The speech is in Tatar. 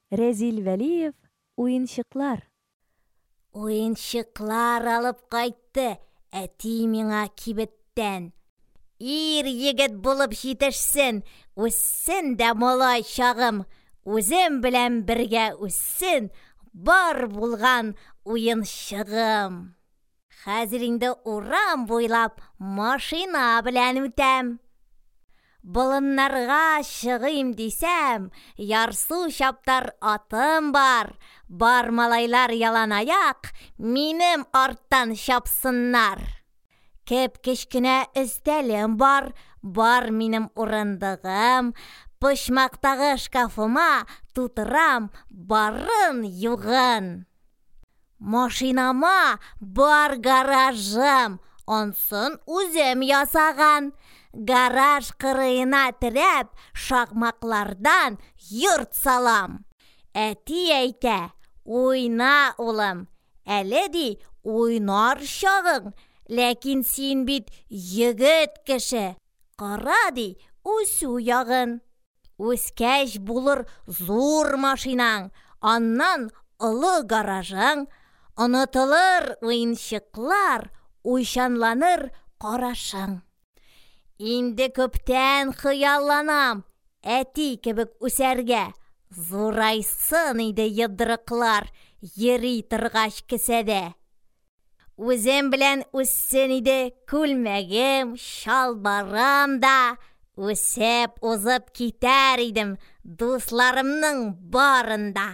Рәзил Вәлиев Уенчыклар. Уенчыклар алып кайтты әти миңа кибеттән. Ир егет булып җитешсен, үссен дә малай чагым, үзем белән бергә үссен бар булган уенчыгым. Хәзер инде урам буйлап машина белән үтәм. Болыннарга чыгыйм дисәм, ярсу чаптар атым бар. Бар малайлар яланаяк, минем арттан чапсыннар. Кеп-кечкенә өстәлем бар, бар минем урындыгым. Почмактагы шкафыма тутырам барын-югын. Машинама бар гаражым, ансын үзем ясаган. Гараж кырыена терәп, шакмаклардан йорт салам. Әти әйтә, уйна, улым, әле ди, уйнар чагың, ләкин син бит егет кеше, кара ди, үсү ягын. Үскәч булыр зур машинаң, аннан олы гаражың, онытылыр уенчыклар, уйчанланыр карашың. Инде күптән хыялланам әти кебек үсәргә. Зурайсын иде йодрыклар йөри торгач кесәдә. Үзем белән үссен иде күлмәгем, чалбарым да. Үсеп узып китәр идем дусларымның барын да.